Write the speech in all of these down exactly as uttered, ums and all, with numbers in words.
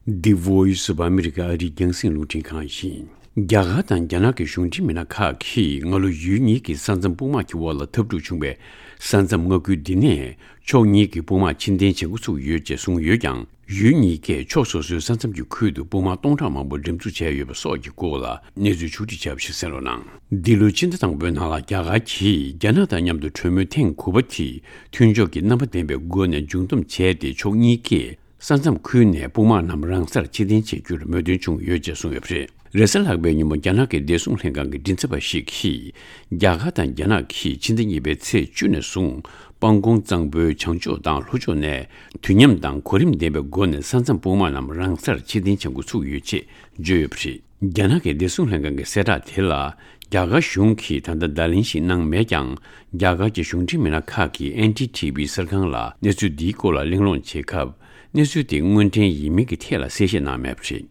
The Voice of America ཨ་རིའི་རྒྱང་སྲིང་རླུང་འཕྲིན་ཁང་ཡིན། རྒྱ་གར་དང་རྒྱ་ནག་གི་གཞུང་འབྲེལ་མི་སྣ་ཁག་གིས་སྔ་ལོ་ཡུལ་གཉིས་ཀྱི་ས་མཚམས་དཔུང་དམག་གི་དབར་ལ་འཐབ་འཁྲུག་བྱུང་བའི་ས་མཚམས་མངའ་ཁུལ་འདི་ནས་ཕྱོགས་གཉིས་ཀྱི་དཔུང་དམག་ཕྱིར་འཐེན་བྱེད་འགོ་ཚུགས་ཡོད་ཅེས་གསུངས་ཡོད་ཀྱང་། ཡུལ་གཉིས་ཀས་ཕྱོགས་སོ་སོའི་ས་མཚམས་ཀྱི་ཁུལ་དུ་དཔུང་དམག་སྟོང་ཕྲག་མང་པོ་འགྲེམས་འཛུགས་བྱས་ཡོད་པ་སོགས་ཀྱི་སྐོར་ལ་གནས་ཚུལ་ཕྱོགས་སྒྲིག་བྱས་པ་ཞིག་གསན་རོགས་གནང་། འདི་ལོའི་ཕྱི་ཟླ་དང་པོའི་ནང་ལ་རྒྱ་གར་གྱིས་རྒྱ་ནག་དང་མཉམ་དུ་གྲོས་མོལ་ཐེངས་དགུ་པ་དེ་མཐུན་ཕྱོགས་ཀྱི་རྣམ་པ་ལྡན་པའི་སྒོ་ནས་མཇུག་བསྡོམས་བྱས་ཏེ། ཕྱོགས་གཉིས་ཀས་ས་མཚམས་ཁུལ་ནས་དཔུང་དམག་རྣམས་རང་སར་ཕྱིར་འཐེན་བྱེད་རྒྱུར་མོས་མཐུན་བྱུང་ཡོད་ཅེས་གསུངས་ཡོད་པ་རེད། རེས་གཟའ་ལྷག་པའི་ཉིན་མོ་རྒྱ་ནག་གི་བདེ་སྲུང་ལྷན་ཁང་གི་མགྲིན་ཚབ་པ་ཞིག་གིས། རྒྱ་གར་དང་རྒྱ་ནག་གིས་ཕྱི་ཟླ་གཉིས་པའི་ཚེས་བཅུ་ནས་བཟུང་། པང་ཀོང་གཙང་པོའི་བྱང་ཕྱོགས་དང་ལྷོ་ཕྱོགས་ནས་དུས་མཉམ་དང་གོ་རིམ་ལྡན་པའི་སྒོ་ནས་ས་མཚམས་དཔུང་དམག་རྣམས་རང་སར་ཕྱིར་འཐེན་བྱེད་འགོ་ཚུགས་ཡོད་ཅེས་བརྗོད་ཡོད་པ་རེད། རྒྱ་ནག་གི་བདེ་སྲུང་ལྷན་ཁང་གི་གསལ་བསྒྲགས་དེ་ལ། རྒྱ་གར་གཞུང་གིས་ད་ལྟ་བརྡ་ལན་ཞིག་གནང་མེད་ཀྱང་། རྒྱ་གར་གྱི་གཞུང་འབྲེལ་མི་སྣ་ཁག་གིས་ཨེན་ཌི་ཐི་ཝི་གསར་ཁང་ལ་གནས་ཚུལ་འདིའི་སྐོར་ལ་གླེང་སློང་བྱེད་སྐབས། གནས་ཚུལ་དེ་དངོས་འབྲེལ་ཡིན་མིན་གྱི་ཐད་ལ་གསལ་བཤད་གནང་མེད་པ་རེད།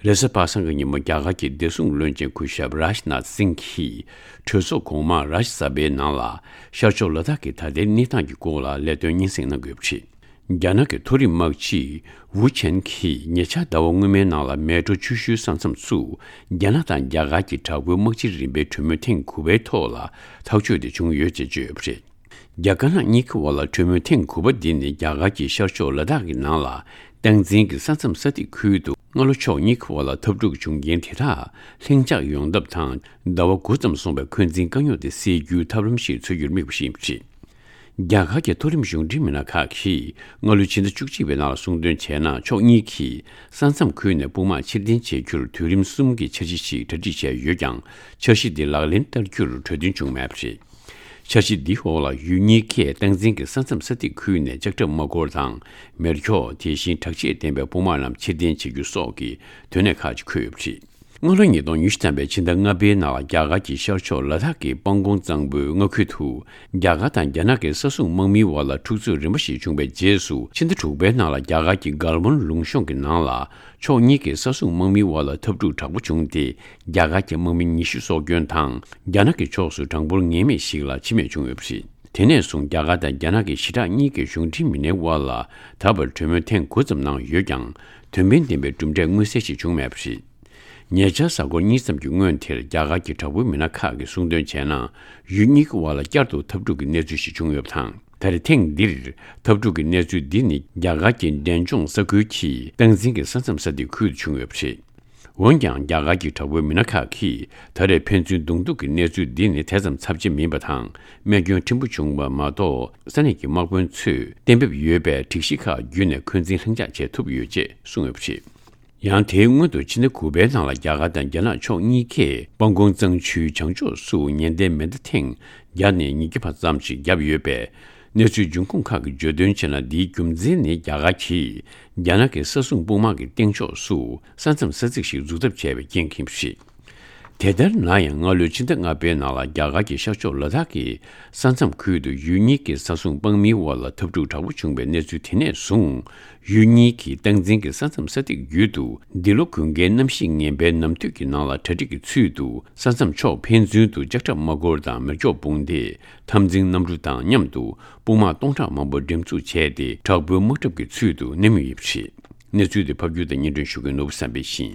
རེས་གཟའ་པ་སངས་ཀྱི་ཉིན་མོ་རྒྱ་གར་གྱི་བདེ་སྲུང་བློན་ཆེན་སྐུ་ཞབས་རཱཇ་ནཱཐ་སིང་གིས་གྲོས་ཚོགས་གོང་མ་རཱཇ་ས་བྷའི་ནང་ལ་ཤར་ཕྱོགས་ལ་དྭགས་ཀྱི་ད་ལྟའི་གནས་སྟངས་ཀྱི་སྐོར་ལ་ལས་དོན་སྙན་སེང་གནང་དགོས་པ་རེད། རྒྱ་ནག་གི་མཐོ་རིམ་དམག་སྤྱི་ཝུ་ཆན་གྱིས་ཉེ་ཆར་ཟླ་བ་སྔོན་མའི་ནང་ལ་མལ་གྲོ་ཆུ་ཤུལ་ས་མཚམས་སུ་རྒྱ་ནག་དང་རྒྱ་གར་གྱི་དྲག་པོའི་དམག་སྤྱིའི་རིམ་པའི་གྲོས་མོལ་ཐེངས་དགུ་པའི་ཐོག་ལ་ཐག་གཅོད་དེ་བྱུང་ཡོད་ཅེས་བརྗོད་ཡོད་པ་རེད། རྒྱ་དཀར་ནག་གཉིས་ཀྱི་དབར་ལ་གྲོས་མོལ་ཐེངས་དགུ་པ་འདི་ནི་རྒྱ་གར་གྱི་ཤར་ཕྱོགས་ལ་དྭགས་ཀྱི་ནང་ལ་སྟངས་འཛིན་གྱི་ས་མཚམས་ས་ཐིག་ཁུལ་དུ་སྔ་ལོ་ཕྱོགས་གཉིས་ཀྱི་དབར་ལ་འཐབ་འཁྲུག་བྱུང་རྐྱེན་དེ་དག་ལྷིང་འཇགས་ཡོང་ཐབས་དང་། ཟླ་བ་དགུ་ཙམ་སོང་བའི་འཁོན་འཛིན་དཀའ་རྙོག་དེ་སེལ་རྒྱུའི་ཐབས་ལམ་ཞིག་འཚོལ་རྒྱུར་དམིགས་པ་ཞིག་ཡིན་པ་རེད། རྒྱ་གར་གྱི་མཐོ་རིམ་གཞུང་འབྲེལ་མི་སྣ་ཁག་གིས་སྔ་ལོའི་ཕྱི་ཟླ་བཅུ་གཅིག་པའི་ནང་ལ་གསུངས་དོན་བྱས་ན། ཕྱོགས་གཉིས་ཀྱིས་ས་མཚམས་ཁུལ་ནས་དཔུང་དམག་ཕྱིར་འཐེན་བྱེད་རྒྱུར་དུས་རིམ་གསུམ་གྱི་འཆར་གཞི་ཞིག་གྲ་སྒྲིག་བྱས་ཡོད་ཀྱང་། འཆར་གཞི་འདི་ལག་ལེན་བསྟར་རྒྱུར་གྲོས་མཐུན་བྱུང་མེད་པ་རེད། འཆར་གཞི་འདིའི་འོག་ལ་ཡུལ་གཉིས་ཀས་སྟངས་འཛིན་གྱི་ས་མཚམས་ས་ཐིག་ཁུལ་ནས་ལྕགས་ཁྲབ་དམག་འཁོར་དང་མེ་སྒྱོགས། དེ་བཞིན་དྲག་ཆས་ལྡན་པའི་དཔུང་དམག་རྣམས་ཕྱིར་འཐེན་བྱེད་རྒྱུ་སོགས་ཀྱི་དོན་གནད་ཁག་ཅིག་འཁོད་ཡོད་པ་རེད། སྔ་ལོ་ཉིས་སྟོང་ཉི་ཤུ་ཐམ་པའི་ཕྱི་ཟླ་ལྔ་པའི་ནང་ལ་རྒྱ་གར་གྱི་ཤར་ཕྱོགས་ལ་དྭགས་ཀྱི་པང་ཀོང་གཙང་པོའི་མངའ་ཁུལ་དུ། རྒྱ་གར་དང་རྒྱ་ནག་གི་ས་སྲུང་དམག་མིའི་དབར་ལ་འཁྲུག་རྩོད་རིམ་པ་ཞིག་བྱུང་བའི་རྗེས་སུ། ཕྱི་ཟླ་དྲུག་པའི་ནང་ལ་རྒྱ་གར་གྱི་གལ་མོན་ལུང་གཤོང་གི་ནང་ལ་ཕྱོགས་གཉིས་ཀྱི་ས་སྲུང་དམག་མིའི་དབར་ལ་འཐབ་འཁྲུག་དྲག་པོ་བྱུང་སྟེ། རྒྱ་གར་གྱི་དམག་མི་ཉི་ཤུ་སྲོག་སྐྱོན་དང་། རྒྱ་ནག་གི་ཕྱོགས་སུ་གྲངས་འབོར་ངེས་མེད་ཞིག་ལ་འཆི་རྨས་བྱུང་ཡོད་པ་རེད། དེ་ནས་བཟུང་རྒྱ་གར་དང་རྒྱ་ནག་གི་ཞི་དྲག་གཉིས་ཀྱི་གཞུང་འབྲེལ་མི་སྣའི་དབར་ལ་ད་བར་གྲོས་མོལ་ཐེངས་དགུ་ཙམ་གནང་ཡོད་ཀྱང་། དོན་ཕན་ལྡན་པའི་གྲུབ་འབྲས་མངོན་གསལ་ཞིག་བྱུང་མེད་པ་རེད། ཉེ་ཆར་གཟའ་འཁོར་གཉིས་ཙམ་གྱི་སྔོན་དེར་རྒྱ་གར་གྱི་དྲག་པོའི་མི་སྣ་ཁག་གིས་གསུངས་དོན་བྱས་ན། ཡུལ་གཉིས་ཀྱི་དབར་ལ་བསྐྱར་དུ་འཐབ་འཁྲུག་གི་གནས་ཚུལ་ཞིག་བྱུང་ཡོད་པ་དང་། ད་རེས་ཐེངས་འདིར་འཐབ་འཁྲུག་གི་གནས་ཚུལ་འདི་ནི་རྒྱ་གར་གྱི་འབྲས་ལྗོངས་ས་ཁུལ་གྱི་སྟངས་འཛིན་གྱི་ས་མཚམས་ས་ཐིག་ཁུལ་དུ་བྱུང་ཡོད་པ་རེད། འོན་ཀྱང་རྒྱ་གར་གྱི་དྲག་པོའི་མི་སྣ་ཁག་གིས་ད་རེས་ཕན་ཚུན་བརྡུང་རྡེག་གི་གནས་ཚུལ་འདི་ནི་དེ་ཙམ་ཚབས་ཆེ་མིན་པ་དང་། རྨས་སྐྱོན་ཕྲན་བུ་བྱུང་བ་མ་གཏོགས། ས་གནས་ཀྱི་དམག་དཔོན་ཚོས་གཏན་འབེབས་ཡོད་པའི་སྒྲིག་གཞི་ཁག་བརྒྱུད་ནས་འཁོན་འཛིན་ལྷིང་འཇགས་བྱེད་ཐུབ་ཡོད་ཅེས་གསུངས་ཡོད་པ་རེད། ཡང་དེའི་སྔོན་དུ་ཕྱི་ཟླ་དགུ་པའི་ནང་ལ་རྒྱ་གར་དང་རྒྱ་ནག་ཕྱོགས་གཉིས་ཀས་པང་ཀོང་གཙང་ཆུའི་བྱང་ཕྱོགས་སུ་ཉེན་བརྡའི་མེ་མདའ་ཐེངས་བརྒྱ་ནས་ཉིས་བརྒྱ་བར་ཙམ་ཞིག་བརྒྱབ་ཡོད་པས། གནས་ཚུལ་འབྱུང་ཁུངས་ཁག་གིས་བརྗོད་དོན་བྱས་ན། འདིའི་རྒྱུ་མཚན་ནི་རྒྱ་གར་གྱིས་རྒྱ་ནག་གི་ས་སྲུང་དཔུང་དམག་གི་སྟེང་ཕྱོགས་སུ་ས་མཚམས་ས་ཚིགས་ཤིག་འཛུགས་ཐབས་བྱས་པའི་རྐྱེན་ཡིན་པ་རེད། དེ་ལྟར་ན་ཡང་། སྔ་ལོའི་ཕྱི་ཟླ་ལྔ་པའི་ནང་ལ་རྒྱ་གར་གྱི་ཤར་ཕྱོགས་ལ་དྭགས་ཀྱི་ས་མཚམས་ཁུལ་དུ་ཡུལ་གཉིས་ཀྱི་ས་སྲུང་དམག་མིའི་དབར་ལ་འཐབ་འཁྲུག་དྲག་པོ་བྱུང་བའི་གནས་ཚུལ་དེ་ནས་བཟུང་། ཡུལ་གཉིས་ཀྱི་སྟངས་འཛིན་གྱི་ས་མཚམས་ས་ཐིག་བརྒྱུད་དུ། འདི་ལོ་དགུན་ཁའི་གནམ་གཤིས་ངན་པའི་ནམ་དུས་ཀྱི་ནང་ལ་གྲ་སྒྲིག་གི་ཚུལ་དུ། ས་མཚམས་ཕྱོགས་ཕན་ཚུན་དུ་ལྕགས་ཁྲབ་དམག་འཁོར་དང་མེ་སྒྱོགས་སྤུངས་ཏེ། འཐབ་འཛིང་གནམ་གྲུ་དང་མཉམ་དུ་དཔུང་དམག་སྟོང་ཕྲག་མང་པོ་འགྲེམས་འཛུགས་བྱས་ཏེ། དྲག་པོའི་དམག་གྲབས་ཀྱི་ཚུལ་དུ་གནས་མུས་ཡིན་པ་རེད། གནས་ཚུལ་དེ་ཕབ་སྒྱུར་དང་སྙན་སྒྲོན་ཞུ་མཁན་ནོར་བུ་བསམ་འཕེལ་ཡིན།